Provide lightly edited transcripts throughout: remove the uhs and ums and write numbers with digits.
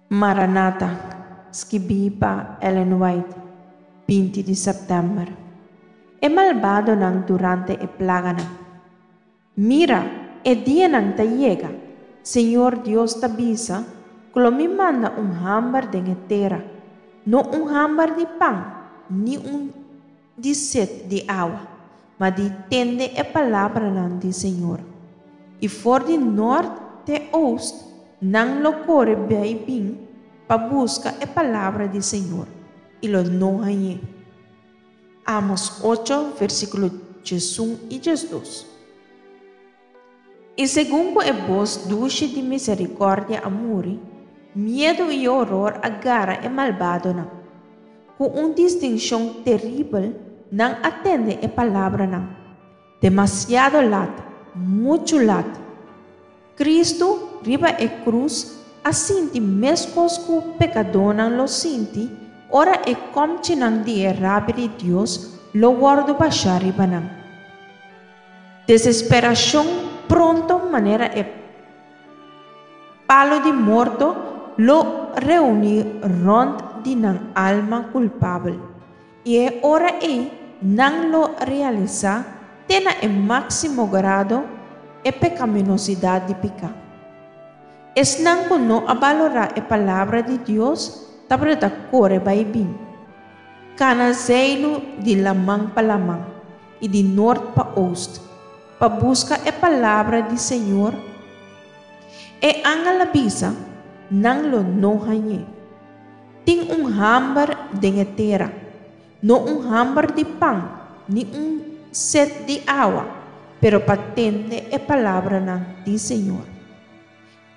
Maranata, skibí pa Ellen White, 20 di sèptèmber. E malbadonan durante e plaganan. Mira, e dianan ta yega, Señor Dios ta bisa, ku lo Mi manda un hamber den e tera, no un hamber di pan, ni un di set di awa, ma di tende e palabranan di Señor. I for di nòrt te ost nan lo kore bai bin pa buska e palabra di Señor, i lo no hañ'é. Amos ocho, versíkulo 11 i 12. I segun ku e bos dushi di miserikòrdia a muri, miedu i horor a gara e malbadonan. Ku un distinshon teribel nan a tende e palabranan, Demasiado lat, muchu lat. Kristu riba e krus a sinti meskos ku pekadónan lo sinti ora e kòmchinan di e rabia di Dios lo wòrdu bashá riba nan. Desesperashon pronto manera e palu di morto lo reuní rònt di nan alma kulpabel. I e ora ei nan lo realisá te na e máksimo grado e pekaminosidat di piká. Esnan ku no a balorá e Palabra di Dios tabata ta kore bai bin, kana zeilu di laman pa laman i di nort pa oost, pa buska e Palabra di Señor. E angel a bisa, Nan lo no hañ'é. Tin un hamber den e tera, no un hamber di pan ni un set di awa, pero pa tende e palabranan di Señor.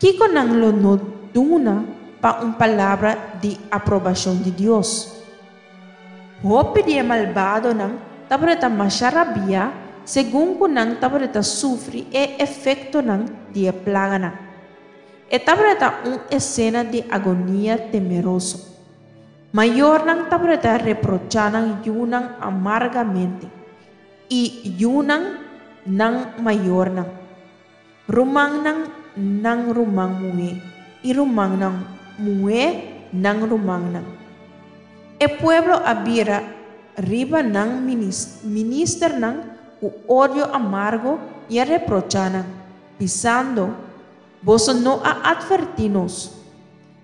Kiko nan lo no duna pa un palabra di aprobashon di Dios? Hopi di e malbadonan tabata masha rabiá segun ku nan tabata sufri e efektonan di e plaganan. E tabata un esena di agonia temeroso. Mayornan tabata reprochá nan yunan amargamente, i yunan nan mayornan, rumannan nan ruman muhé i rumannan muhé nan rumannan. E pueblo a bira riba nan ministernan ku odio amargo i a reprochá nan, bisando, Boso no a atvertí nos.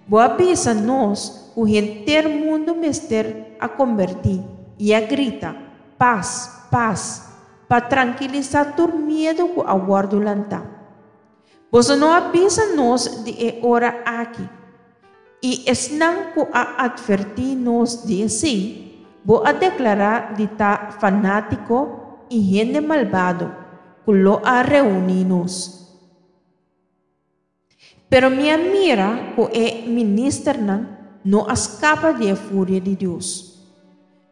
Bo a bisa nos ku henter mundu mester a kombertí i a grita, Pas, pas, pa trankilisá tur miedu ku a wòrdu lantá. Boso no a bisa nos di e ora aki. I esnan ku a atvertí nos di esei, bo a deklará di ta fanátiko i hende malbado ku lo a reuní nos. Pero mi a mira ku e ministernan no a skapa di e furia di Dios.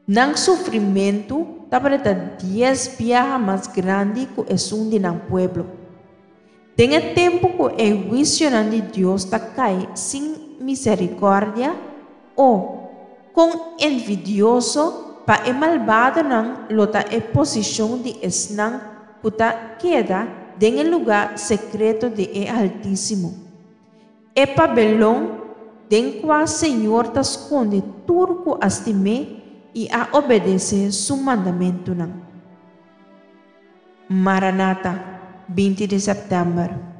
Nan sufrimentu tabata dies biaha mas grandi ku esun di nan pueblo. Den e tempu ku e huisionan di Dios ta kai sin miserikòrdia, o, kon envidioso pa e malbadonan lo ta e posishon di esnan ku ta keda den e lugá sekreto di e Altísimo, e pabelon den kua Señor ta skonde tur ku a stim'é i a obedesé su mandamentunan. Maranata, 20 di sèptèmber.